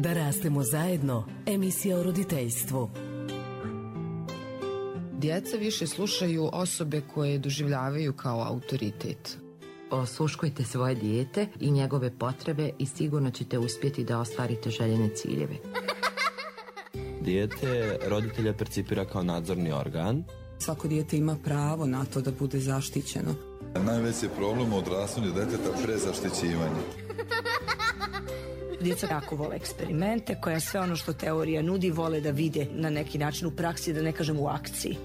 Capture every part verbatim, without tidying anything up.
Da rastemo zajedno, emisija o roditeljstvu. Djeca više slušaju osobe koje doživljavaju kao autoritet. Osluškujte svoje dijete i njegove potrebe i sigurno ćete uspjeti da ostvarite željene ciljeve. Dijete roditelja percipira kao nadzorni organ. Svako dijete ima pravo na to da bude zaštićeno. Najveći problem u odrastanju djeteta prezaštićivanje. Djeca jako vole eksperimente, koja sve ono što teorija nudi vole da vide na neki način u praksi, da ne kažem u akciji.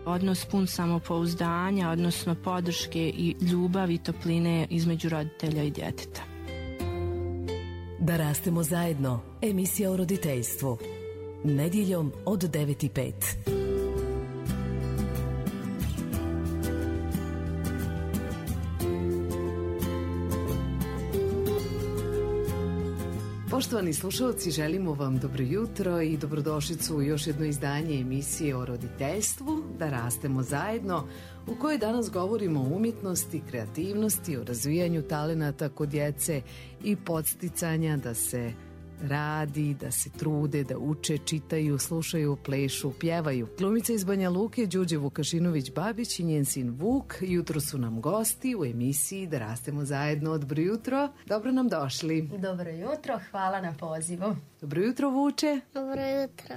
Odnos pun samopouzdanja, odnosno podrške i ljubavi i topline između roditelja i djeteta. Da rastemo zajedno, emisija o roditeljstvu. Nedjeljom od devet i pet. Poštovani slušalci, želimo vam dobro jutro i dobrodošlicu u još jedno izdanje emisije o roditeljstvu, Da rastemo zajedno, u kojoj danas govorimo o umjetnosti, kreativnosti, o razvijanju talenata kod djece i podsticanja da se radi, da se trude, da uče, čitaju, slušaju, plešu, pjevaju. Glumica iz Banja Luke, Đurđe Vukašinović-Babić i njen sin Vuk jutro su nam gosti u emisiji Da rastemo zajedno. Dobro jutro, dobro nam došli. Dobro jutro, hvala na pozivu. Dobro jutro, Vuče. Dobro jutro.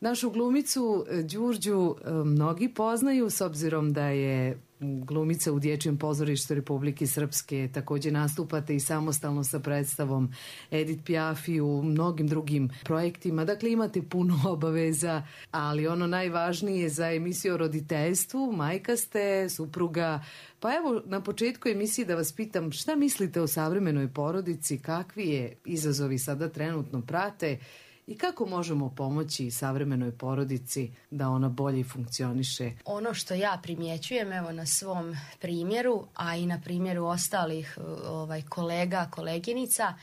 Našu glumicu Đurđu mnogi poznaju s obzirom da je glumica u Dječjem pozorištu Republike Srpske, također nastupate i samostalno sa predstavom Edith Piaf i u mnogim drugim projektima, dakle imate puno obaveza, ali ono najvažnije za emisiju o roditeljstvu, majka ste, supruga, pa evo na početku emisije da vas pitam šta mislite o savremenoj porodici, kakvi je izazovi sada trenutno prate i kako možemo pomoći savremenoj porodici da ona bolje funkcioniše? Ono što ja primjećujem, evo na svom primjeru, a i na primjeru ostalih ovaj, kolega, koleginica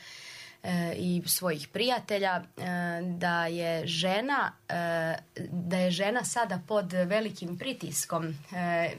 e, i svojih prijatelja, e, da je žena e, da je žena sada pod velikim pritiskom. E,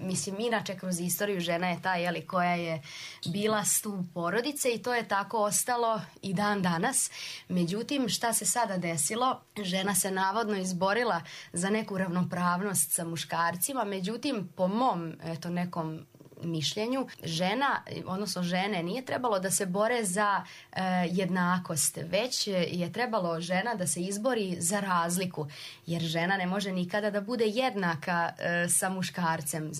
mislim, inače kroz istoriju žena je ta, jeli, koja je bila stup porodice i to je tako ostalo i dan danas. Međutim, šta se sada desilo? Žena se navodno izborila za neku ravnopravnost sa muškarcima, međutim, po mom eto, nekom mišljenju, žena, odnosno žene, nije trebalo da se bore za e, jednakost, već je trebalo žena da se izbori za razliku, jer žena ne može nikada da bude jednaka e, sa muškarcem,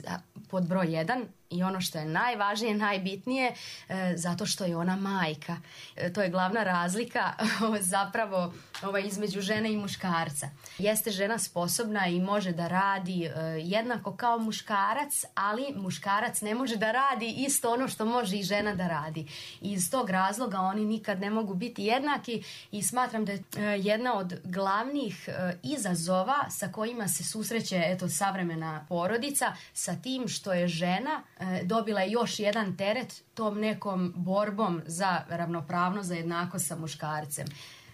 pod broj jedan. I ono što je najvažnije, najbitnije, e, zato što je ona majka. E, to je glavna razlika zapravo ovaj, između žene i muškarca. Jeste žena sposobna i može da radi e, jednako kao muškarac, ali muškarac ne može da radi isto ono što može i žena da radi. I iz tog razloga oni nikad ne mogu biti jednaki i smatram da je e, jedna od glavnih e, izazova sa kojima se susreće eto, savremena porodica, sa tim što je žena dobila je još jedan teret tom nekom borbom za ravnopravnost, za jednakost sa muškarcem.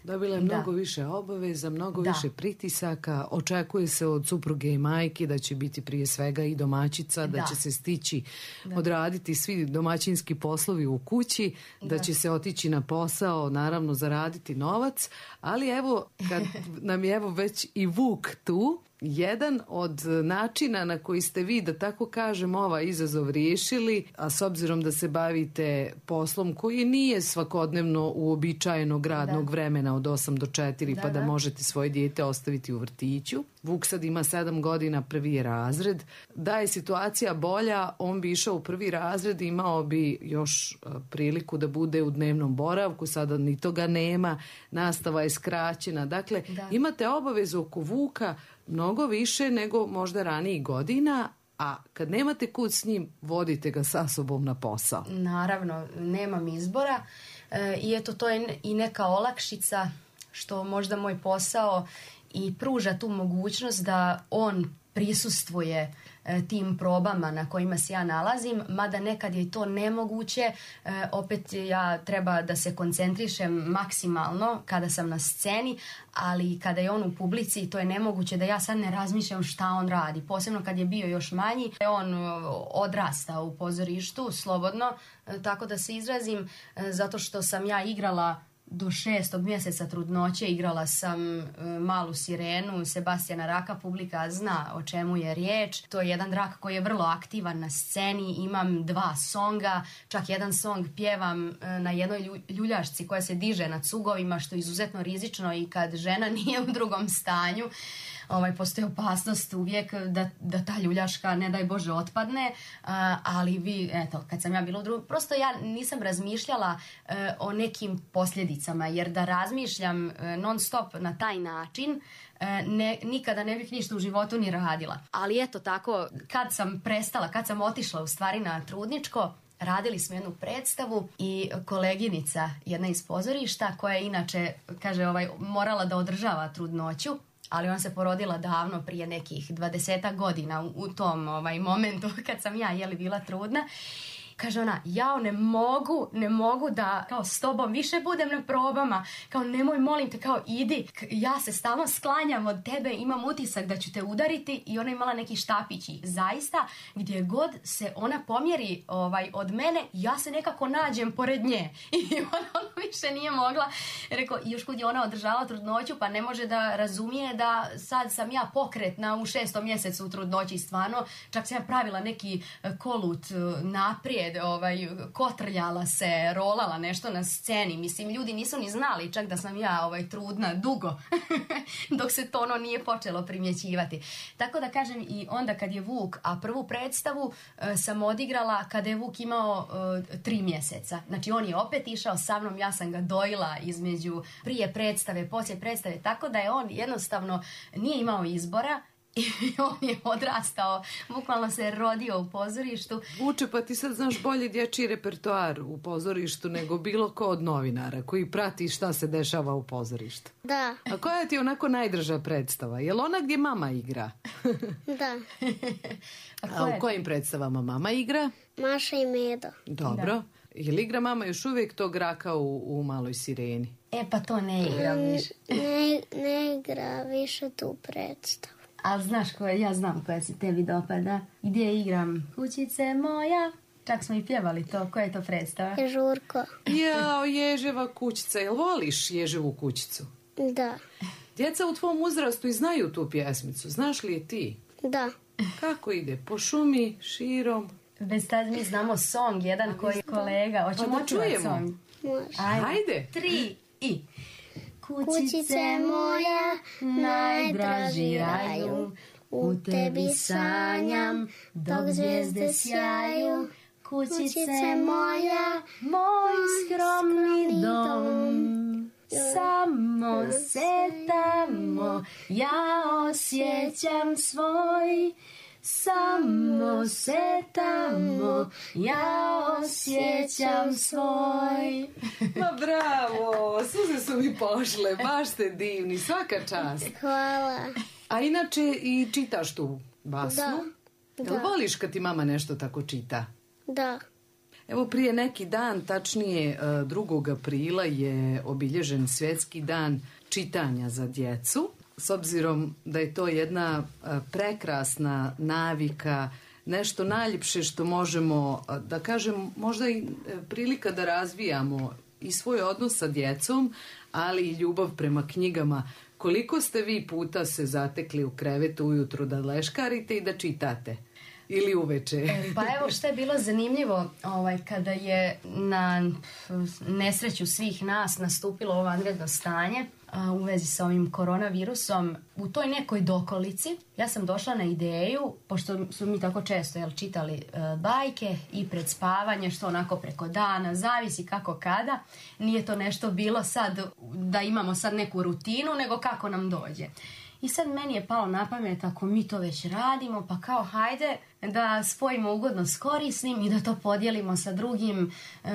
Dobila je mnogo da. više obaveza, mnogo da. više pritisaka, očekuje se od supruge i majke da će biti prije svega i domaćica, da, da će se stići da. odraditi svi domaćinski poslovi u kući, da, da će se otići na posao, naravno zaraditi novac, ali evo kad nam je evo već i Vuk tu, jedan od načina na koji ste vi, da tako kažem, ovaj izazov riješili, a s obzirom da se bavite poslom koji nije svakodnevno uobičajenog radnog da. vremena od osam do četiri, da, pa da, da možete svoje dijete ostaviti u vrtiću. Vuk sad ima sedam godina, prvi je razred. Da je situacija bolja, on bi išao u prvi razred, imao bi još priliku da bude u dnevnom boravku, sada ni toga nema, nastava je skraćena. Dakle, da. imate obavezu oko Vuka mnogo više nego možda ranijih godina, a kad nemate kud s njim, vodite ga sa sobom na posao. Naravno, nemam izbora e, i eto to je i neka olakšica što možda moj posao i pruža tu mogućnost da on prisustvuje e, tim probama na kojima se ja nalazim, mada nekad je to nemoguće, e, opet ja treba da se koncentrišem maksimalno kada sam na sceni, ali kada je on u publici to je nemoguće da ja sad ne razmišljam šta on radi, posebno kad je bio još manji. On odrasta u pozorištu slobodno, e, tako da se izrazim, e, zato što sam ja igrala do šestog mjeseca trudnoće igrala sam e, Malu sirenu Sebastijana Raka, publika zna o čemu je riječ. To je jedan drak koji je vrlo aktivan na sceni, imam dva songa, čak jedan song pjevam e, na jednoj ljuljašci koja se diže na cugovima, što je izuzetno rizično i kad žena nije u drugom stanju. Ovaj, postoji opasnost uvijek da, da ta ljuljaška, ne daj Bože, otpadne, a, ali vi, eto, kad sam ja bila u drugom, prosto ja nisam razmišljala e, o nekim posljedicama, jer da razmišljam e, non stop na taj način, e, ne, nikada ne bih ništa u životu ni radila. Ali eto tako, kad sam prestala, kad sam otišla u stvari na trudničko, radili smo jednu predstavu i koleginica, jedna iz pozorišta, koja je inače, kaže, ovaj, morala da održava trudnoću, ali ona se porodila davno, prije nekih dvadesetak godina, u, u tom ovaj, momentu kad sam ja jeli bila trudna. Kaže ona, ja ne mogu, ne mogu da kao s tobom više budem na probama, kao nemoj, molim te, kao idi, ja se stalno sklanjam od tebe, imam utisak da ću te udariti. I ona imala neki štapić i zaista gdje god se ona pomjeri ovaj, od mene, ja se nekako nađem pored nje. I ona, ona više nije mogla, rekao, još kud je ona održala trudnoću, pa ne može da razumije da sad sam ja pokretna u šestom mjesecu u trudnoći, stvarno, čak sam ja pravila neki kolut naprijed, ovaj, kotrljala se, rolala nešto na sceni. Mislim, ljudi nisu ni znali čak da sam ja ovaj, trudna dugo, dok se to ono nije počelo primjećivati. Tako da kažem, i onda kad je Vuk, a prvu predstavu e, sam odigrala kada je Vuk imao e, tri mjeseca. Znači, on je opet išao sa mnom, ja sam ga dojila između prije predstave, poslije predstave, tako da je on jednostavno nije imao izbora. I on je odrastao, bukvalno se rodio u pozorištu. Vuče, pa ti sad znaš bolje dječji repertoar u pozorištu nego bilo ko od novinara koji prati šta se dešava u pozorištu. Da. A koja ti je onako najdrža predstava? Je li ona gdje mama igra? Da. A, A u kojim predstavama mama igra? Maša i Medo. Dobro. Da. Je li igra mama još uvijek tog Raka u, u Maloj sireni? E pa to ne igra više. Ne, ne igra više tu predstavu. Ali znaš koje, ja znam koja se tebi dopada. Gdje igram kućice moja. Čak smo i pjevali to. Koja je to predstava? Ježurko. Jao, Ježeva kućica. Jel voliš Ježevu kućicu? Da. Djeca u tvom uzrastu i znaju tu pjesmicu. Znaš li je ti? Da. Kako ide? Po šumi, širom? Bez tad mi znamo song, jedan koji je kolega. Hoćemo pa da čujemo. Song? Može. Ajde. Ajde. Tri i... Kućice moja, najdraži raju, u tebi sanjam, dok zvijezde sjaju. Kućice moja, moj skromni dom, samo se tamo ja osjećam svoj. Samo se tamo ja osjećam svoj. Ma bravo, suze su mi pošle, baš ste divni, svaka čast. Hvala. A inače i čitaš tu basnu? Da. Jel voliš kad ti mama nešto tako čita? Da. Evo prije neki dan, tačnije drugog aprila je obilježen svjetski dan čitanja za djecu. S obzirom da je to jedna prekrasna navika, nešto najljepše što možemo, da kažem, možda i prilika da razvijamo i svoj odnos sa djecom, ali i ljubav prema knjigama. Koliko ste vi puta se zatekli u krevetu ujutru da leškarite i da čitate? Ili uveče? Pa evo što je bilo zanimljivo, ovaj, kada je na nesreću svih nas nastupilo ovo vanredno stanje a, u vezi sa ovim koronavirusom, u toj nekoj dokolici ja sam došla na ideju, pošto su mi tako često jel, čitali e, bajke i pred spavanje, što onako preko dana, zavisi kako kada, nije to nešto bilo sad da imamo sad neku rutinu, nego kako nam dođe. I sad meni je palo na pamet, ako mi to već radimo, pa kao hajde da spojimo ugodno s korisnim i da to podijelimo sa drugim e,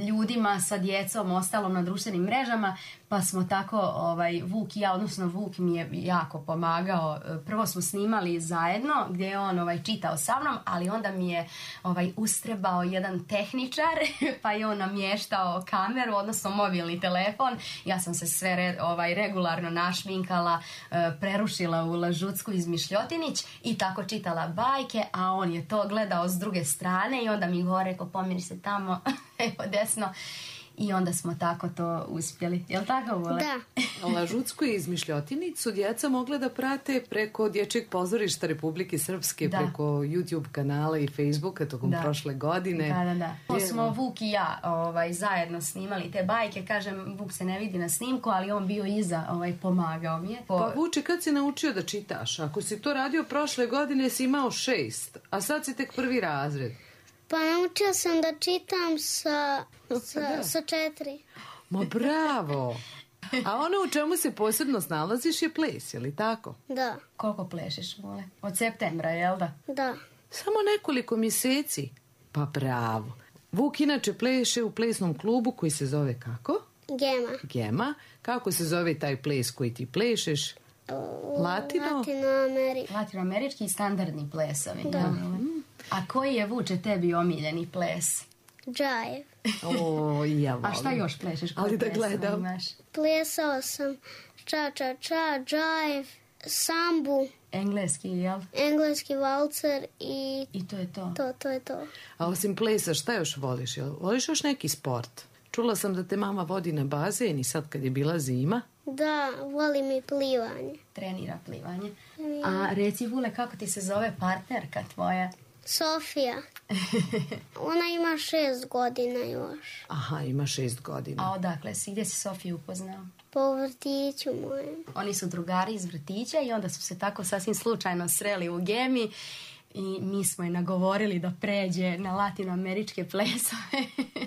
ljudima, sa djecom, ostalom na društvenim mrežama. Pa smo tako, ovaj, Vuk i ja, odnosno Vuk mi je jako pomagao. Prvo smo snimali zajedno gdje je on ovaj, čitao sa mnom, ali onda mi je ovaj, ustrebao jedan tehničar pa je on namještao kameru, odnosno mobilni telefon. Ja sam se sve re, ovaj, regularno našminkala, e, prerušila u lažucku izmišljotinić i tako čitala bajke, a on je to gledao s druge strane i onda mi gore, ko pomiri se tamo, evo desno. i onda smo tako to uspjeli. Jel' tako, Vole? Da. Lažutsku izmišljotinicu djeca mogla da prate preko Dječjeg pozorišta Republike Srpske, da. Preko YouTube kanala i Facebooka tokom da. Prošle godine. Da, da, da. To smo Vuk i ja ovaj, zajedno snimali te bajke. Kažem, Vuk se ne vidi na snimku, ali on bio iza, ovaj, pomagao mi je. Po... Pa Vuče, kad si naučio da čitaš? Ako si to radio prošle godine, si imao šest, a sad si tek prvi razred. Pa naučio sam da čitam sa, sa, sa četiri. Ma bravo! A ono u čemu se posebno snalaziš je ples, je li tako? Da. Koliko plešeš, Vole? Od septembra, jel da? Da. Samo nekoliko mjeseci? Pa bravo. Vuk inače pleše u plesnom klubu koji se zove kako? Gema. Gema. Kako se zove taj ples koji ti plešeš? Latino? Latinoamerički. Latinoamerički i standardni plesovi. Da. Mm. A koji je, Vuče, tebi omiljeni ples? Džive. O, ja volim. A šta još plešeš? Ali da gledam. Imaš? Plesao sam ča ča ča, džive, sambu. Engleski, jel? Engleski valcer i... I to je to. To, to je to. A osim plesa, šta još voliš? Jel? Voliš još neki sport? Čula sam da te mama vodi na bazen i sad kad je bila zima. Da, volim i plivanje. Trenira plivanje. A reci, Vule, kako ti se zove partnerka tvoja? Sofija. Ona ima šest godina još. Aha, ima šest godina. A odakle si? Gdje si Sofiju upoznao? Po vrtiću mojem. Oni su drugari iz vrtića i onda su se tako sasvim slučajno sreli u Gemi i mi smo je nagovorili da pređe na latinoameričke plesove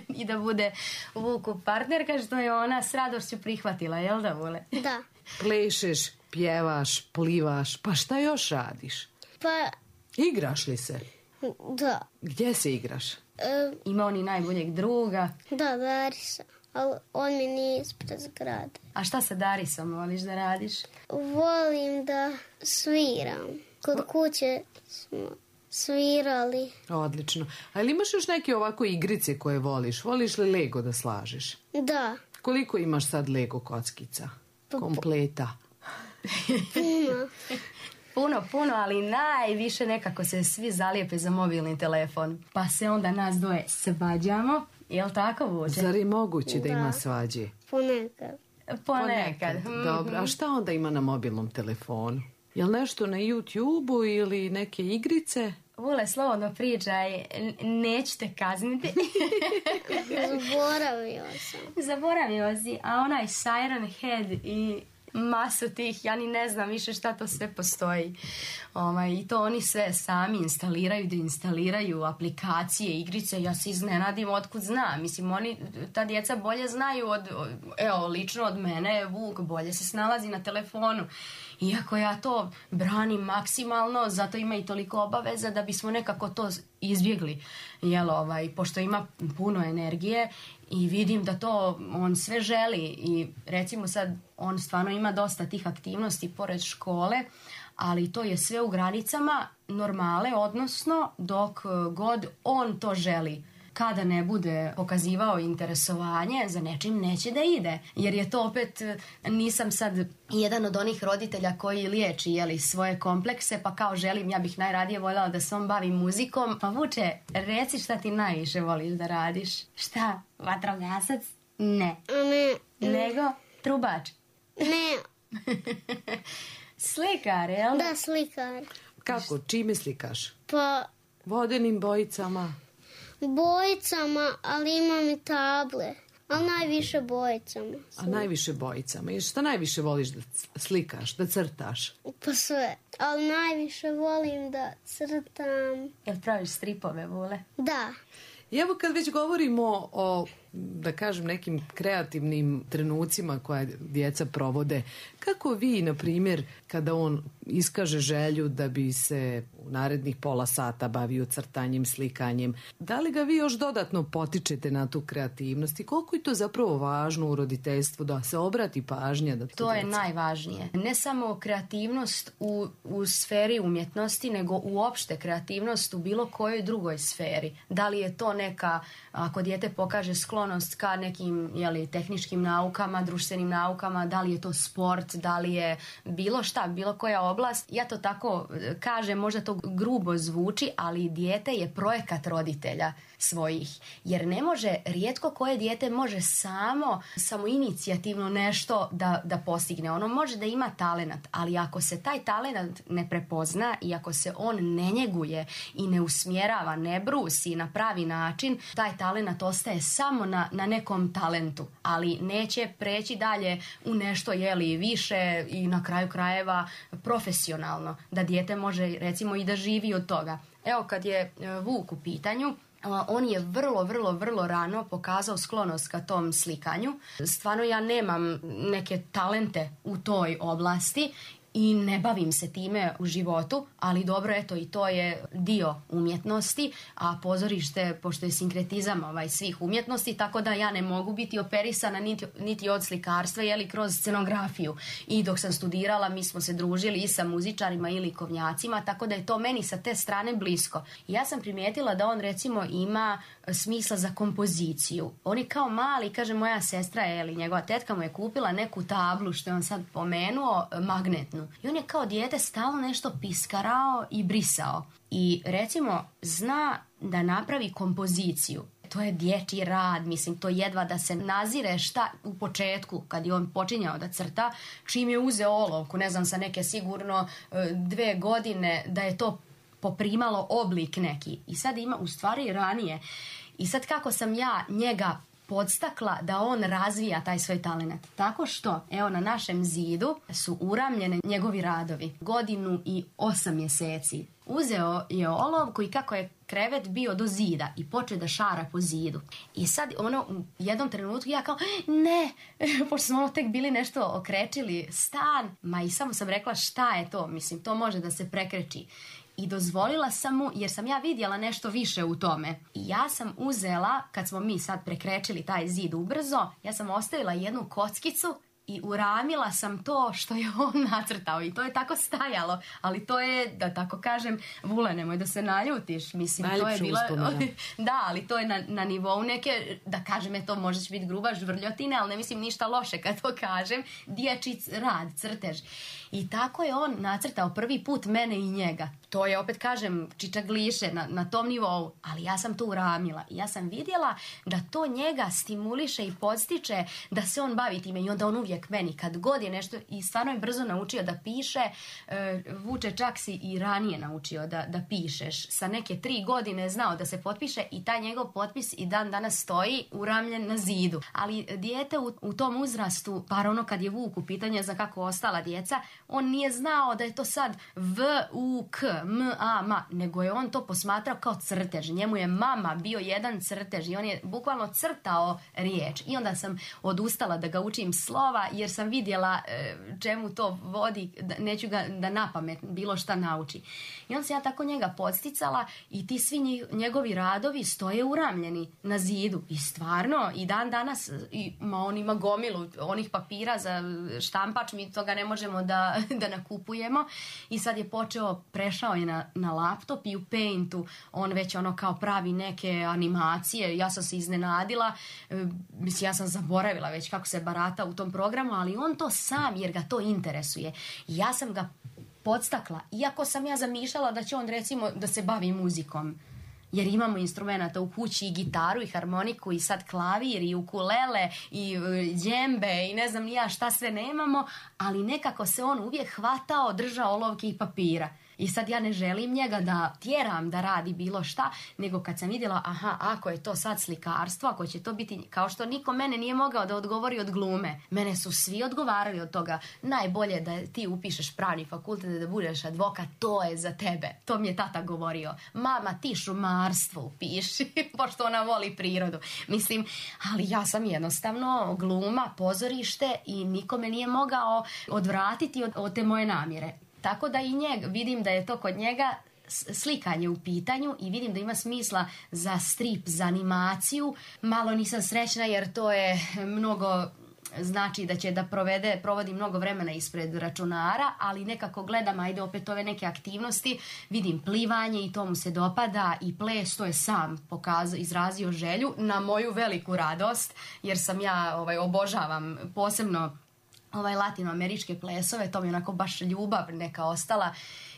i da bude Vuku partnerka, što je ona s radošću prihvatila, jel da, Vule? Da. Plešeš, pjevaš, plivaš, pa šta još radiš? Pa... Igraš li se? Da. Gdje se igraš? E, Ima oni najboljeg druga. Da, Darisa, ali on mi nije ispred zgrade. A šta sa Darisom voliš da radiš? Volim da sviram. Kod kuće smo svirali. Odlično. Ali imaš još neke ovako igrice koje voliš? Voliš li Lego da slažeš? Da. Koliko imaš sad Lego kockica? Kompleta. Puno. Puno, puno, ali najviše nekako se svi zalijepe za mobilni telefon. Pa se onda nas dvoje svađamo. Jel tako, Vuče? Zar je moguće da, da ima svađe? Ponekad. Ponekad. Ponekad. Dobro, a šta onda ima na mobilnom telefonu? Jel nešto na YouTube-u ili neke igrice? Vule, slobodno pričaj, neću te kazniti. Zaboravio sam. Zaboravio si, a onaj Siren Head i masu tih, ja ni ne znam više šta to sve postoji. Ovaj, I to oni sve sami instaliraju, da instaliraju aplikacije, igrice, ja se iznenadim otkud znam. Mislim, oni, ta djeca bolje znaju od, evo, lično od mene, Vuk bolje se snalazi na telefonu. Iako ja to branim maksimalno, zato ima i toliko obaveza da bismo nekako to izbjegli. Jel, ovaj, pošto ima puno energije i vidim da to on sve želi i recimo sad on stvarno ima dosta tih aktivnosti pored škole, ali to je sve u granicama normale, odnosno dok god on to želi. Kada ne bude pokazivao interesovanje, za nečim neće da ide. Jer je to opet, nisam sad jedan od onih roditelja koji liječi, jeli, svoje komplekse, pa kao želim, ja bih najradije voljela da se on bavi muzikom. Pa Vuče, reci šta ti najviše voliš da radiš? Šta? Vatrogasac? Ne. Ne. Nego? Trubač? Ne. Slikar, jel? Da, slikar. Kako? Čime slikaš? Pa... Vodenim bojicama? Bojicama, ali imam i table. Ali najviše bojicama. A najviše bojicama. I šta najviše voliš da slikaš, da crtaš? Pa sve. Ali najviše volim da crtam. Jel praviš stripove, Vule? Da. I evo kad već govorimo o, da kažem, nekim kreativnim trenucima koje djeca provode, kako vi, na primjer, kada on iskaže želju da bi se u narednih pola sata bavio crtanjem, slikanjem, da li ga vi još dodatno potičete na tu kreativnost i koliko je to zapravo važno u roditeljstvu da se obrati pažnja? Da to to je djeca... najvažnije. Ne samo kreativnost u, u sferi umjetnosti, nego uopšte kreativnost u bilo kojoj drugoj sferi. Da li je to neka, ako dijete pokaže sklonost ka nekim, jeli, tehničkim naukama, društvenim naukama, da li je to sport, da li je bilo šta, bilo koja oblast. Ja to tako kažem, možda to grubo zvuči, ali dijete je projekat roditelja. svojih. Jer ne može, rijetko koje dijete može samo, samo inicijativno nešto da, da postigne. Ono može da ima talenat, ali ako se taj talenat ne prepozna i ako se on ne njeguje i ne usmjerava, ne brusi na pravi način, taj talenat ostaje samo na, na nekom talentu, ali neće preći dalje u nešto jeli više i na kraju krajeva profesionalno, da dijete može recimo i da živi od toga. Evo kad je Vuk u pitanju, on je vrlo, vrlo, vrlo rano pokazao sklonost ka tom slikanju. Stvarno ja nemam neke talente u toj oblasti i ne bavim se time u životu, ali dobro, eto, i to je dio umjetnosti, a pozorište, pošto je sinkretizam ovaj, svih umjetnosti, tako da ja ne mogu biti operisana niti, niti od slikarstva, jeli kroz scenografiju. I dok sam studirala, mi smo se družili i sa muzičarima i likovnjacima, tako da je to meni sa te strane blisko. I ja sam primijetila da on, recimo, ima smisla za kompoziciju. On je kao mali, kaže moja sestra, jeli, njegova tetka mu je kupila neku tablu, što je on sad pomenuo, magnetnu. I on je kao dijete stalno nešto piskarao i brisao. I recimo zna da napravi kompoziciju. To je dječji rad, mislim, to jedva da se nazire šta u početku, kad je on počinjao da crta, čim je uzeo olovku, ne znam, sa neke sigurno dve godine, da je to poprimalo oblik neki. I sad ima, u stvari ranije. I sad kako sam ja njega podstakla da on razvija taj svoj talent. Tako što, evo, na našem zidu su uramljene njegovi radovi. Godinu i osam mjeseci. Uzeo je olovku i kako je krevet bio do zida i počeo da šara po zidu. I sad ono u jednom trenutku ja kao ne, pošto smo ono tek bili nešto okrečili stan, ma i samo sam rekla šta je to, mislim to može da se prekreči. I dozvolila sam mu, jer sam ja vidjela nešto više u tome. I ja sam uzela, kad smo mi sad prekrečili taj zid ubrzo, ja sam ostavila jednu kockicu i uramila sam to što je on nacrtao i to je tako stajalo, ali to je, da tako kažem, Vule, nemoj da se naljutiš, mislim, najljepša to je bila uspomena. Da, ali to je na, na nivou neke, da kažem, eto, možda će biti gruba žvrljotine, ali ne mislim ništa loše kad to kažem, dječji rad, crtež. I tako je on nacrtao prvi put mene i njega. To je, opet kažem, čičagliše na, na tom nivou, ali ja sam to uramila. I ja sam vidjela da to njega stimuliše i podstiče da se on bavi time i onda on uvijek meni, kad god je nešto, i stvarno je brzo naučio da piše, e, Vuče, čak si i ranije naučio da, da pišeš. Sa neke tri godine znao da se potpiše i taj njegov potpis i dan danas stoji uramljen na zidu. Ali dijete u, u tom uzrastu, par ono kad je Vuk u pitanje za kako ostala djeca, on nije znao da je to sad V, U, K, M, A, Ma, nego je on to posmatrao kao crtež. Njemu je mama bio jedan crtež i on je bukvalno crtao riječ. I onda sam odustala da ga učim slova, jer sam vidjela e, čemu to vodi, da, neću ga da napamet bilo šta nauči. I on se ja tako njega podsticala i ti svi njegovi radovi stoje uramljeni na zidu. I stvarno, i dan danas, i, ma on ima gomilu onih papira za štampač, mi toga ne možemo da, da nakupujemo. I sad je počeo, prešao je na, na laptop i u Paintu on već ono kao pravi neke animacije. Ja sam se iznenadila, e, mislim, ja sam zaboravila već kako se barata u tom programu, ali on to sam, jer ga to interesuje. I ja sam ga podstakla, iako sam ja zamišljala da će on, recimo, da se bavi muzikom. Jer imamo instrumenta u kući, i gitaru, i harmoniku, i sad klavir, i ukulele, i džembe, i ne znam ni ja šta sve nemamo, ali nekako se on uvijek hvatao, držao olovke i papira. I sad ja ne želim njega da tjeram da radi bilo šta, nego kad sam vidjela, aha, ako je to sad slikarstvo, ako će to biti, kao što niko mene nije mogao da odgovori od glume. Mene su svi odgovarali od toga. Najbolje da ti upišeš pravni fakultet, da budeš advokat, to je za tebe. To mi je tata govorio. Mama, ti šumarstvo upiši, pošto ona voli prirodu. Mislim, ali ja sam jednostavno gluma, pozorište i niko me nije mogao odvratiti od, od te moje namjere. Tako da i njega, vidim da je to kod njega slikanje u pitanju i vidim da ima smisla za strip, za animaciju. Malo nisam srećna jer to je mnogo, znači da će da provede, provodi mnogo vremena ispred računara, ali nekako gledam, ajde opet ove neke aktivnosti, vidim plivanje i to mu se dopada i ples, to je sam pokazao, izrazio želju na moju veliku radost, jer sam ja ovaj, obožavam posebno ovaj latinoameričke plesove, to mi je onako baš ljubav neka ostala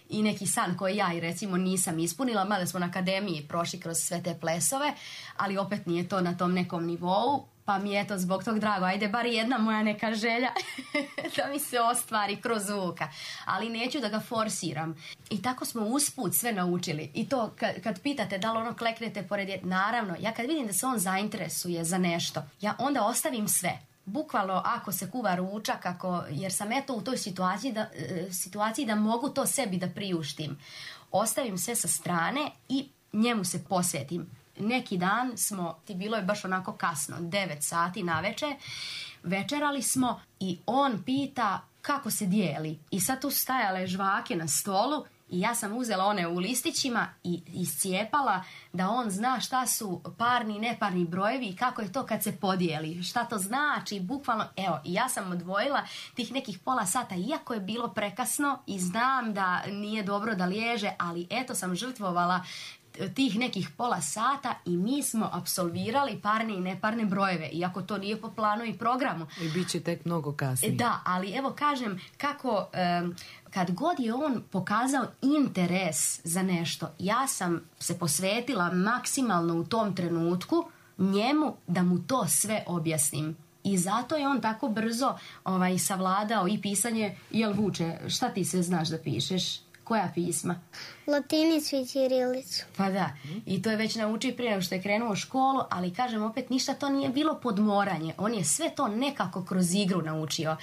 i neki san koji ja i recimo nisam ispunila, mada smo na akademiji prošli kroz sve te plesove, ali opet nije to na tom nekom nivou. Pa mi je to zbog tog drago, ajde bar jedna moja neka želja da mi se ostvari kroz zvuka. Ali neću da ga forsiram. I tako smo usput sve naučili. I to kad, kad pitate da li ono kleknete pored je, naravno, ja kad vidim da se on zainteresuje za nešto, ja onda ostavim sve. Bukvalno ako se kuva ručak, ako, jer sam eto u toj situaciji da, situaciji da mogu to sebi da priuštim. Ostavim sve sa strane i njemu se posvetim. Neki dan smo, ti bilo je baš onako kasno, devet sati naveče, večerali smo i on pita kako se dijeli. I sad tu stajale žvake na stolu i ja sam uzela one u listićima i iscijepala da on zna šta su parni i neparni brojevi i kako je to kad se podijeli. Šta to znači, bukvalno, evo, i ja sam odvojila tih nekih pola sata, iako je bilo prekasno i znam da nije dobro da liježe, ali eto sam žrtvovala tih nekih pola sata i mi smo apsolvirali parne i neparne brojeve, iako to nije po planu i programu. I bit će tek mnogo kasnije. Da, ali evo kažem kako um, kad god je on pokazao interes za nešto, ja sam se posvetila maksimalno u tom trenutku njemu da mu to sve objasnim. I zato je on tako brzo ovaj, savladao i pisanje. Jel Vuče, šta ti sve znaš da pišeš? Koja pisma? Latinicu i ćirilicu. Pa da, i to je već naučio prije nego što je krenuo u školu, ali kažem opet ništa to nije bilo podmoranje. On je sve to nekako kroz igru naučio.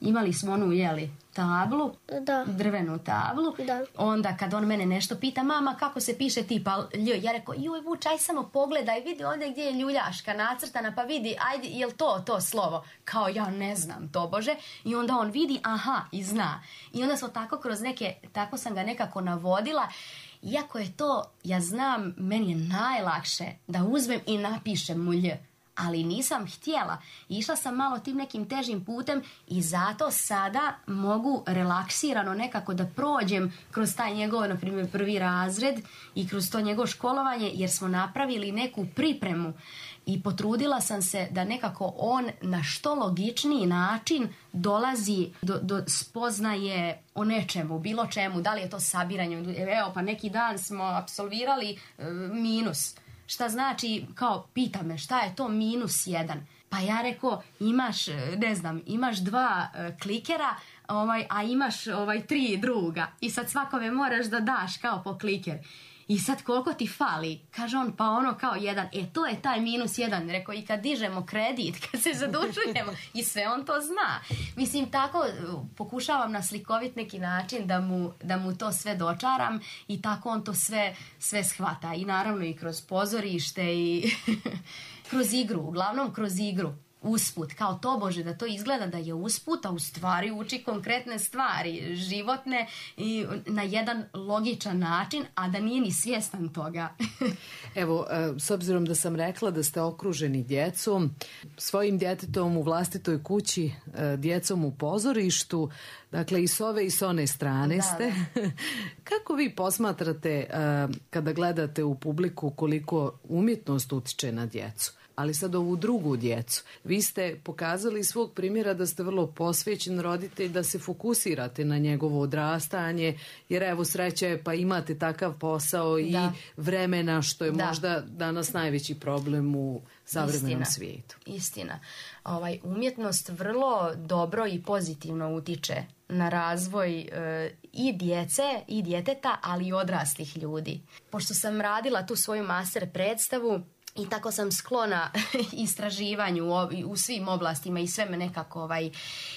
Imali smo onu, jeli, tablu, da. drvenu tablu. Da. Onda kad on mene nešto pita, mama kako se piše tipa lj, ja rekao, joj Vuč, aj samo pogledaj, vidi ovdje gdje je ljuljaška nacrtana, pa vidi, ajde, jel to to slovo? Kao ja ne znam, tobože. I onda on vidi, aha, i zna. I onda smo tako kroz neke, tako sam ga nekako navodila. Iako je to, ja znam, meni je najlakše da uzmem i napišem mu lj. Ali nisam htjela. Išla sam malo tim nekim težim putem i zato sada mogu relaksirano nekako da prođem kroz taj njegov, na primjer, prvi razred i kroz to njegovo školovanje, jer smo napravili neku pripremu i potrudila sam se da nekako on na što logičniji način dolazi do, do spoznaje o nečemu, bilo čemu, da li je to sabiranje. Evo, pa neki dan smo apsolvirali e, minus. Šta znači, kao, pita me, šta je to minus jedan? Pa ja rekao, imaš, ne znam, imaš dva e, klikera, ovaj, a imaš ovaj, tri druga. I sad svakome moraš da daš kao po kliker. I sad koliko ti fali? Kaže on, pa ono kao jedan. E, to je taj minus jedan. Rekao, i kad dižemo kredit, kad se zadužujemo, i sve on to zna. Mislim, tako pokušavam na slikovit neki način da mu, da mu to sve dočaram i tako on to sve, sve shvata. I naravno i kroz pozorište i kroz igru, uglavnom kroz igru. Usput, kao tobože da to izgleda da je usput, a u stvari uči konkretne stvari, životne i na jedan logičan način, a da nije ni svjestan toga. Evo, s obzirom da sam rekla da ste okruženi djecom, svojim djetetom u vlastitoj kući, djecom u pozorištu, dakle i s ove i s one strane da, ste. Da. Kako vi posmatrate kada gledate u publiku koliko umjetnost utiče na djecu? Ali sad ovu drugu djecu. Vi ste pokazali svog primjera da ste vrlo posvećen roditelj, da se fokusirate na njegovo odrastanje, jer evo sreće pa imate takav posao i da. vremena, što je da. možda danas najveći problem u savremenom Istina. svijetu. Istina. Ovaj, umjetnost vrlo dobro i pozitivno utiče na razvoj e, i djece i djeteta, ali i odraslih ljudi. Pošto sam radila tu svoju master predstavu, i tako sam sklona istraživanju u, u svim oblastima i sve me nekako ovaj,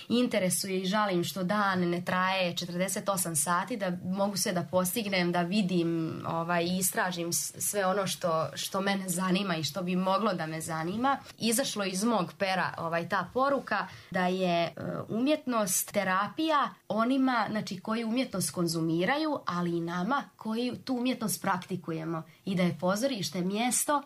interesuje i žalim što dan ne traje četrdeset osam sati, da mogu sve da postignem, da vidim ovaj, i istražim sve ono što, što mene zanima i što bi moglo da me zanima. Izašlo iz mog pera ovaj, ta poruka da je uh, umjetnost terapija onima, znači, koji umjetnost konzumiraju, ali i nama koji tu umjetnost praktikujemo i da je pozorište mjesto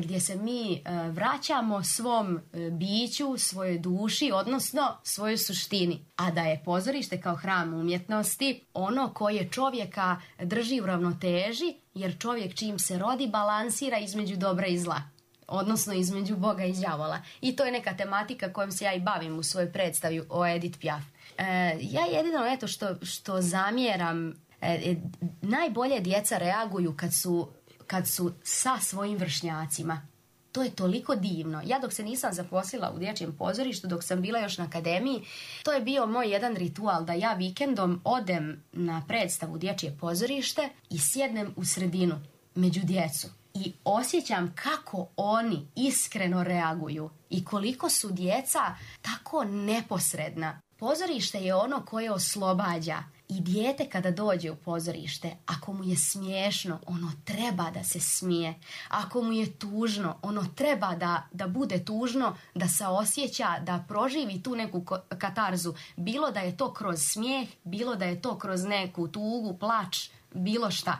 gdje se mi vraćamo svom biću, svojoj duši, odnosno svojoj suštini. A da je pozorište kao hram umjetnosti ono koje čovjeka drži u ravnoteži, jer čovjek čim se rodi balansira između dobra i zla. Odnosno između Boga i đavola. I to je neka tematika kojom se ja i bavim u svojoj predstavi o Edith Piaf. E, ja jedino eto što, što zamjeram E, e, najbolje djeca reaguju kad su, kad su sa svojim vršnjacima. To je toliko divno. Ja dok se nisam zaposlila u dječjem pozorištu, dok sam bila još na akademiji, to je bio moj jedan ritual da ja vikendom odem na predstavu dječje pozorište i sjednem u sredinu među djecu. I osjećam kako oni iskreno reaguju i koliko su djeca tako neposredna. Pozorište je ono koje oslobađa. I dijete kada dođe u pozorište, ako mu je smiješno, ono treba da se smije. Ako mu je tužno, ono treba da, da bude tužno, da se osjeća, da proživi tu neku katarzu. Bilo da je to kroz smijeh, bilo da je to kroz neku tugu, plač, bilo šta.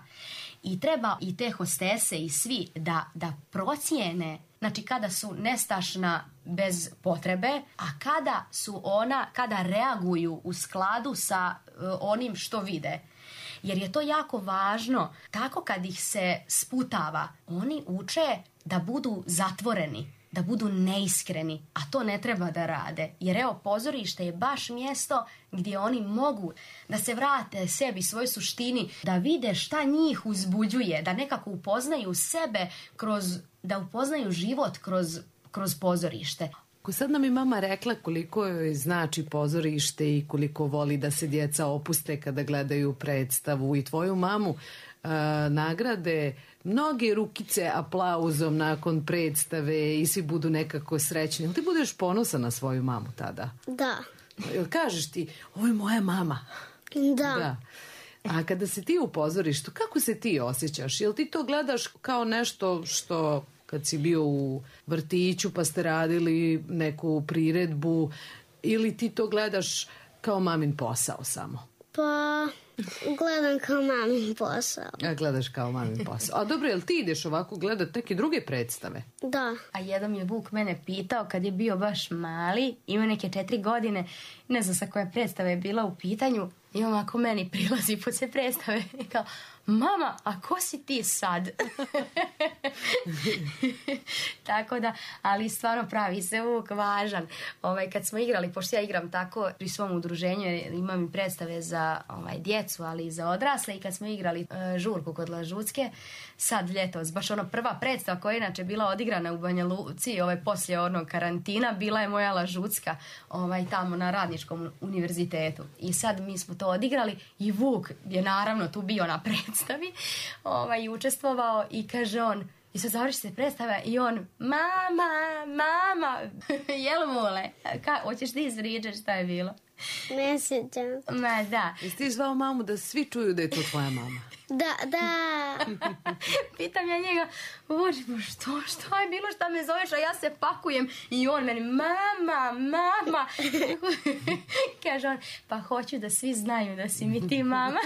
I treba i te hostese i svi da, da procijene, znači kada su nestašna bez potrebe, a kada su ona, kada reaguju u skladu sa uh, onim što vide. Jer je to jako važno. Tako kad ih se sputava, oni uče da budu zatvoreni, da budu neiskreni, a to ne treba da rade. Jer evo, pozorište je baš mjesto gdje oni mogu da se vrate sebi, svoj suštini, da vide šta njih uzbuđuje, da nekako upoznaju sebe kroz, da upoznaju život kroz, kroz pozorište. Ako sad nam je mama rekla koliko joj znači pozorište i koliko voli da se djeca opuste kada gledaju predstavu i tvoju mamu uh, nagrade mnoge rukice aplauzom nakon predstave i svi budu nekako srećni. Ili ti budeš ponosan na svoju mamu tada? Da. Ili kažeš ti, ovo je moja mama? Da. Da. A kada si ti u pozorištu, kako se ti osjećaš? Jel ti to gledaš kao nešto što kad si bio u vrtiću pa ste radili neku priredbu, ili ti to gledaš kao mamin posao samo? Pa gledam kao mamin posao. A gledaš kao mamin posao. A dobro, jel ti ideš ovako gledat neke druge predstave? Da. A jedan je Vuk mene pitao kad je bio baš mali, ima neke četiri godine, ne znam sa koje predstave je bila u pitanju, i on ako meni prilazi po se predstave i kao, mama, a ko si ti sad? Tako da, ali stvarno pravi se Vuk važan. Ovaj, kad smo igrali, pošto ja igram tako pri svom udruženju, imam i predstave za ovaj, djecu, ali i za odrasle, i kad smo igrali uh, žurku kod Lažutske, sad ljetos, baš ono prva predstava koja je inače bila odigrana u Banja Luci, ovaj, poslije onog karantina, bila je moja Lažutska, ovaj, tamo na Radničkom univerzitetu. I sad mi smo to odigrali i Vuk je naravno tu bio na predstavi, ovaj, učestvovao i kaže on, i sad završi se predstava i on, mama, mama, jel mule, ka, hoćeš ti izvriđati šta je bilo? Ne sjećam. Ma da. Jesi ti zvao mamu da svi čuju da je to tvoja mama? Da, da. Pitam ja njega, Bože, što, što je bilo, šta me zoveš, a ja se pakujem i on meni, mama, mama. Kaže on, pa hoću da svi znaju da si mi ti mama.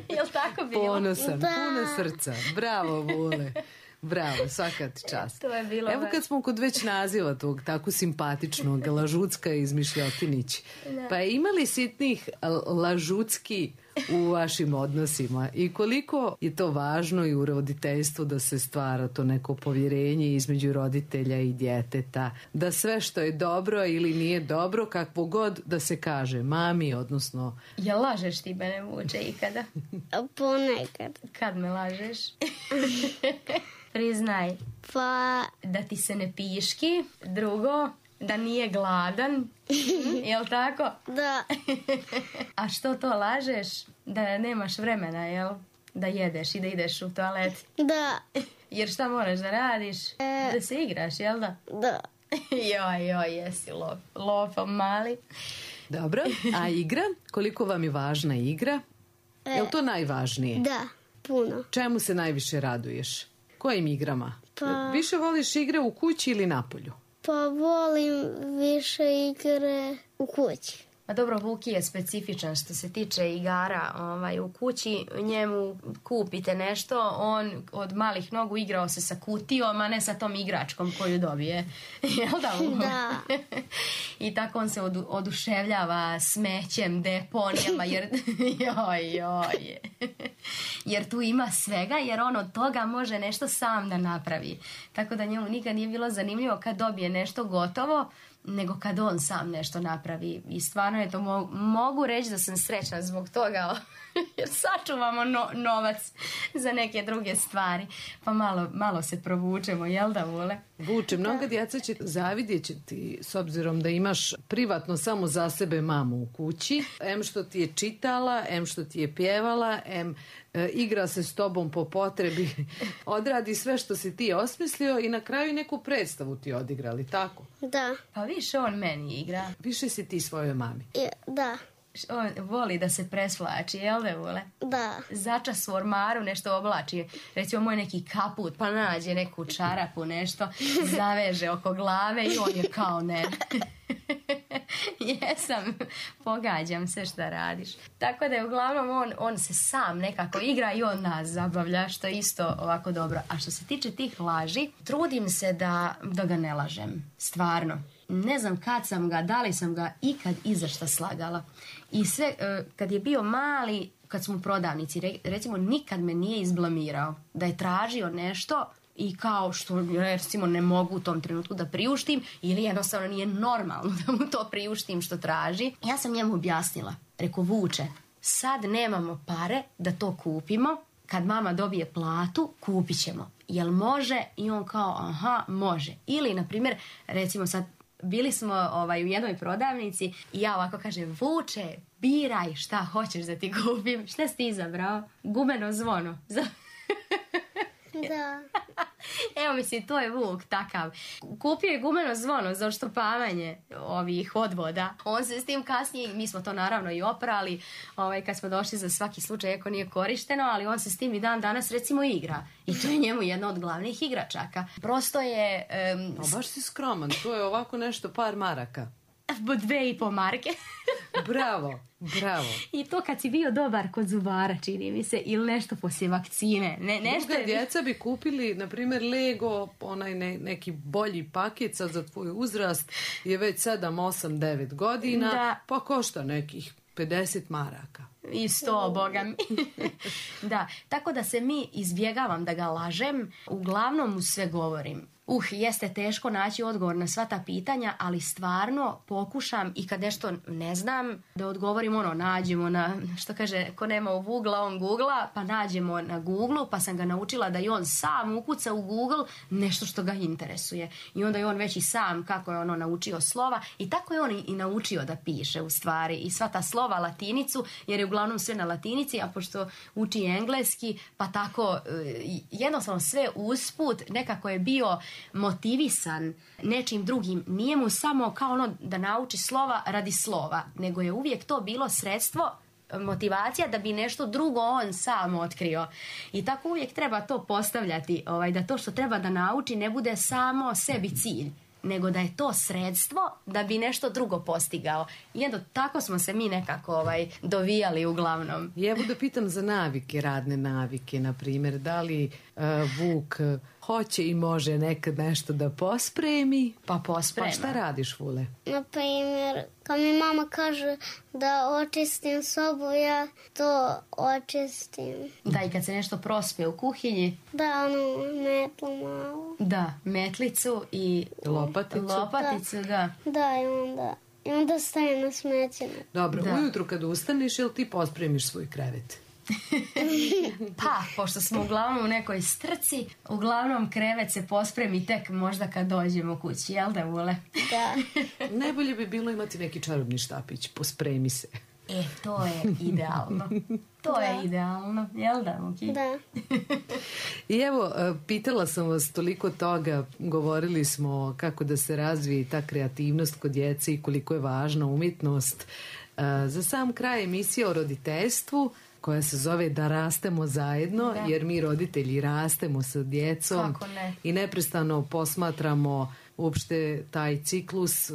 Jel tako bilo? Ponosan, da. Puno srca. Bravo, Vule. Bravo, svaka ti čast. To je bilo. Evo kad smo kod već naziva tog tako simpatičnog Lažutska i Izmišljotinić. Da. Pa imali sitnih Lažutski u vašim odnosima i koliko je to važno i u roditeljstvu da se stvara to neko povjerenje između roditelja i djeteta, da sve što je dobro ili nije dobro, kakvo god da se kaže mami, odnosno... Ja lažeš ti mene, Vuče, ikada? Ponekad. Kad me lažeš? Priznaj. Pa... Da ti se ne piški, drugo, da nije gladan, jel tako? Da. A što to lažeš? Da nemaš vremena, jel? Da jedeš i da ideš u toalet. Da. Jer šta moraš da radiš? E... Da se igraš, jel da? Da. Joj, joj, jesi lop, lopom mali. Dobro, a igra? Koliko vam je važna igra? E... Je li to najvažnije? Da, puno. Čemu se najviše raduješ? Kojim igrama? Pa... Više voliš igre u kući ili napolju? Pa volim više igre u kući. Pa dobro, Vuki je specifičan što se tiče igara ovaj, u kući. Njemu kupite nešto, on od malih nogu igrao se sa kutijom, a ne sa tom igračkom koju dobije. Jel da? Da. I tako on se odu, oduševljava smećem, deponijama, jer, joj, joj. Jer tu ima svega, jer on od toga može nešto sam da napravi. Tako da njemu nikad nije bilo zanimljivo kad dobije nešto gotovo, nego kad on sam nešto napravi. I stvarno je to, mo- mogu reći da sam srećna zbog toga, jer sačuvamo no- novac za neke druge stvari. Pa malo, malo se provučemo, jel da, Vule? Vuče, mnoga djeca će zavidjet će ti s obzirom da imaš privatno samo za sebe mamu u kući. Em što ti je čitala, em što ti je pjevala, em e, igra se s tobom po potrebi, odradi sve što si ti osmislio i na kraju neku predstavu ti odigrali, tako? Da. Pa više on meni igra. Više si ti svojoj mami. I, da. On voli da se presvlači, jel da, Vule? Da. Začas u ormaru nešto oblači, recimo moj neki kaput, pa nađe neku čarapu, nešto, zaveže oko glave i on je kao ne. Jesam, pogađam se šta radiš. Tako da je uglavnom on, on se sam nekako igra i on nas zabavlja, što je isto ovako dobro. A što se tiče tih laži, trudim se da, da ga ne lažem, stvarno. Ne znam kad sam ga, da li sam ga ikad i za šta slagala. I sve, kad je bio mali, kad smo u prodavnici, recimo nikad me nije izblamirao da je tražio nešto i kao što recimo ne mogu u tom trenutku da priuštim ili jednostavno nije normalno da mu to priuštim što traži. Ja sam njemu objasnila, reko Vuče, sad nemamo pare da to kupimo, kad mama dobije platu kupit ćemo. Jel može? I on kao aha, može. Ili na primjer, recimo sad bili smo ovaj, u jednoj prodavnici i ja ovako kažem, Vuče, biraj šta hoćeš da ti kupim. Šta si ti izabrao? Gumeno zvono. Da. Evo mislim, to je Vuk takav. Kupio je gumeno zvono za oštopavanje ovih odvoda. On se s tim kasnije, mi smo to naravno i oprali, ovaj, kad smo došli za svaki slučaj, ako nije korišteno, ali on se s tim i dan danas recimo igra. I to je njemu jedna od glavnih igračaka. Prosto je... Um, A baš si skroman, to je ovako nešto par maraka. Dve i po marke. Bravo, bravo. I to kad si bio dobar kod zubara, čini mi se, ili nešto poslije vakcine. Ne, nešto je... djeca bi kupili, na primjer, Lego, onaj ne, neki bolji paket sad za tvoj uzrast, je već sedam, osam, devet godina, da. Pa košta nekih pedeset maraka. I sto, boga mi. Da, tako da se mi izbjegavam da ga lažem, uglavnom mu sve govorim. Uh, jeste teško naći odgovor na sva ta pitanja, ali stvarno pokušam i kad nešto ne znam da odgovorim ono, nađemo na, što kaže, ko nema u Google, on googla, pa nađemo na Google, pa sam ga naučila da i on sam ukuca u Google nešto što ga interesuje. I onda je on već i sam kako je ono naučio slova i tako je on i naučio da piše u stvari i sva ta slova latinicu, jer je uglavnom sve na latinici, a pošto uči engleski, pa tako jednostavno sve usput nekako je bio motivisan nečim drugim. Nije mu samo kao ono da nauči slova radi slova, nego je uvijek to bilo sredstvo, motivacija da bi nešto drugo on sam otkrio. I tako uvijek treba to postavljati, ovaj, da to što treba da nauči ne bude samo sebi cilj, nego da je to sredstvo da bi nešto drugo postigao. I eto, tako smo se mi nekako ovaj, dovijali uglavnom. I evo da pitam za navike, radne navike, na primjer, da li uh, Vuk uh, hoće i može nekad nešto da pospremi? Pa posprema. Pa šta radiš, Vule? Na primjer, kad mi mama kaže da očistim sobu, ja to očistim. Da, i kad se nešto prospe u kuhinji. Da, ono, metlu malo. Da, metlicu i lopaticu. Lopaticu, da. Da, da i onda, i onda staje na smeće. Dobro, da. Ujutru kad ustaneš, jel ti pospremiš svoj krevet? Pa, pošto smo uglavnom u nekoj strci, uglavnom krevet se pospremi tek možda kad dođemo kući, jel da, Vule? Da. Najbolje bi bilo imati neki čarobni štapić, pospremi se. E, to je idealno. To da. je idealno, jel da, Muki? Da. I evo, pitala sam vas toliko toga, govorili smo kako da se razvije ta kreativnost kod djece i koliko je važna umjetnost. Za sam kraj emisije o roditeljstvu, koja se zove Da rastemo zajedno, da. Jer mi roditelji rastemo sa djecom ne? i neprestano posmatramo uopšte taj ciklus.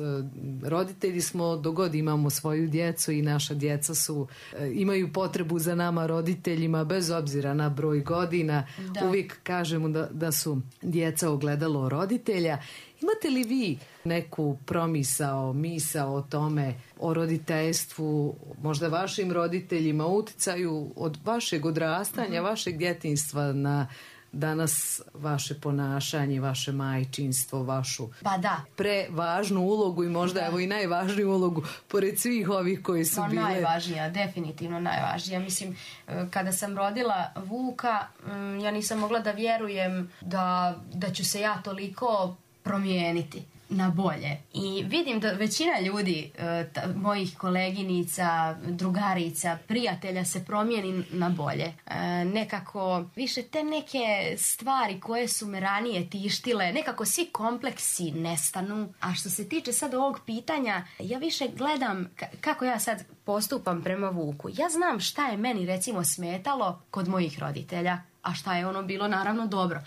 Roditelji smo dok god imamo svoju djecu i naša djeca su, imaju potrebu za nama roditeljima bez obzira na broj godina. Da. Uvijek kažemo da, da su djeca ogledalo roditelja. Imate li vi neku promisao, misao o tome, o roditeljstvu, možda vašim roditeljima, uticaju od vašeg odrastanja, uh-huh. vašeg djetinjstva na danas vaše ponašanje, vaše majčinstvo, vašu pa da. prevažnu ulogu i možda da. evo i najvažniju ulogu pored svih ovih koji su no, bile. Najvažnija, definitivno najvažnija. Mislim, kada sam rodila Vuka, ja nisam mogla da vjerujem da, da ću se ja toliko promijeniti na bolje. I vidim da većina ljudi, ta, mojih koleginica, drugarica, prijatelja se promijeni na bolje. E, nekako više te neke stvari koje su me ranije tištile, nekako svi kompleksi nestanu. A što se tiče sad ovog pitanja, ja više gledam k- kako ja sad postupam prema Vuku. Ja znam šta je meni recimo smetalo kod mojih roditelja, a šta je ono bilo naravno dobro.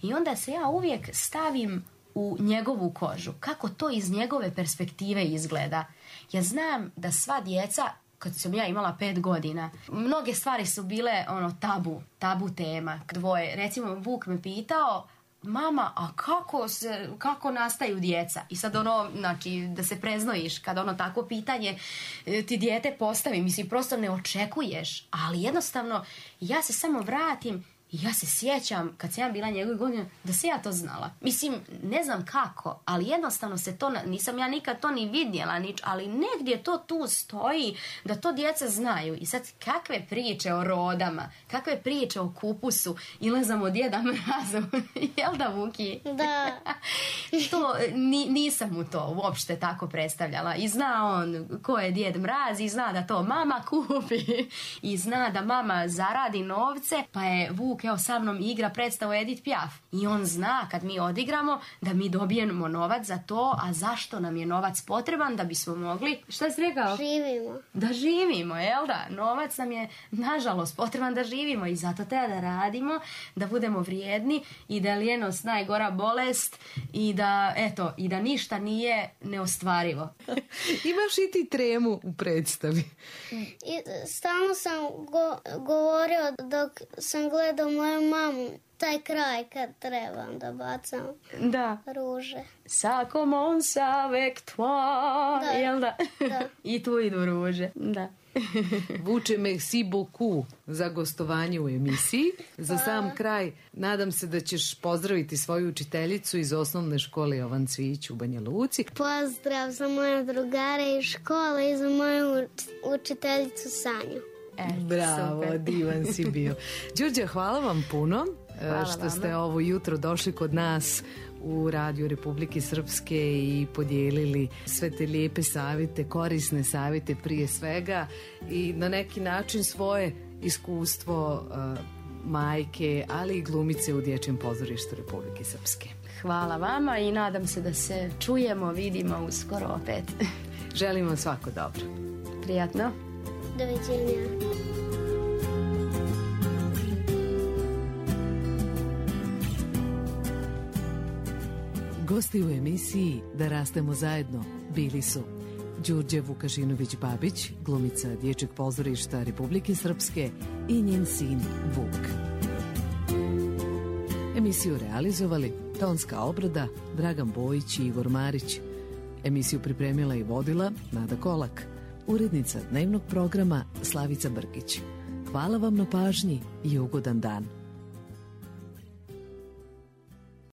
I onda se ja uvijek stavim u njegovu kožu, kako to iz njegove perspektive izgleda. Ja znam da sva djeca, kad sam ja imala pet godina, mnoge stvari su bile ono tabu, tabu tema. Dvoje, recimo Vuk me pitao, mama, a kako se, kako nastaju djeca? I sad ono, znači, da se preznojiš kad ono takvo pitanje ti dijete postavi, mislim, prosto ne očekuješ, ali jednostavno ja se samo vratim. Ja se sjećam, kad sam ja bila njegove godine, da se ja to znala. Mislim, ne znam kako, ali jednostavno se to, nisam ja nikad to ni vidjela, nič, ali negdje to tu stoji, da to djeca znaju. I sad, kakve priče o rodama, kakve priče o kupusu, ili znam o Djeda Mrazu, jel da, Vuki? Da. To, ni, nisam mu to uopšte tako predstavljala. I zna on ko je Djed Mraz, i zna da to mama kupi, i zna da mama zaradi novce, pa je Vuk evo sa mnom igra predstavu Edith Piaf i on zna kad mi odigramo da mi dobijemo novac za to, a zašto nam je novac potreban? Da bismo mogli, šta si rekao? Živimo. Da živimo, jel da? Novac nam je nažalost potreban da živimo i zato treba da radimo, da budemo vrijedni i da lijenost najgora bolest i da, eto, i da ništa nije neostvarivo. Imaš i ti tremu u predstavi. I stalno sam go, govorio dok sam gledao moju mamu, taj kraj kad trebam da bacam da. ruže. Ça commence avec toi, da. Jel da? Da. I tu idu ruže. Da. Vuče, merci beaucoup za gostovanje u emisiji. Za sam kraj, nadam se da ćeš pozdraviti svoju učiteljicu iz osnovne škole Jovan Cvijić u Banja Luci. Pozdrav za moje drugare iz škole i za moju učiteljicu Sanju. E, bravo, super. Divan si bio. Đurđa, hvala vam puno hvala što vama. Ste ovo jutro došli kod nas u Radio Republike Srpske i podijelili sve te lijepe savjete, korisne savjete prije svega i na neki način svoje iskustvo uh, majke, ali i glumice u Dječjem pozorištu Republike Srpske. Hvala vama i nadam se da se čujemo, vidimo uskoro opet. Želim vam svako dobro. Prijatno. Doviđenja. Gosti u emisiji Da rastemo zajedno bili su Đurđe Vukašinović-Babić, glumica Dječjeg pozorišta Republike Srpske i njen sin Vuk. Emisiju realizovali tonska obrada Dragan Bojić i Igor Marić. Emisiju pripremila i vodila Nada Kolak. Urednica dnevnog programa Slavica Brkić. Hvala vam na pažnji i ugodan dan.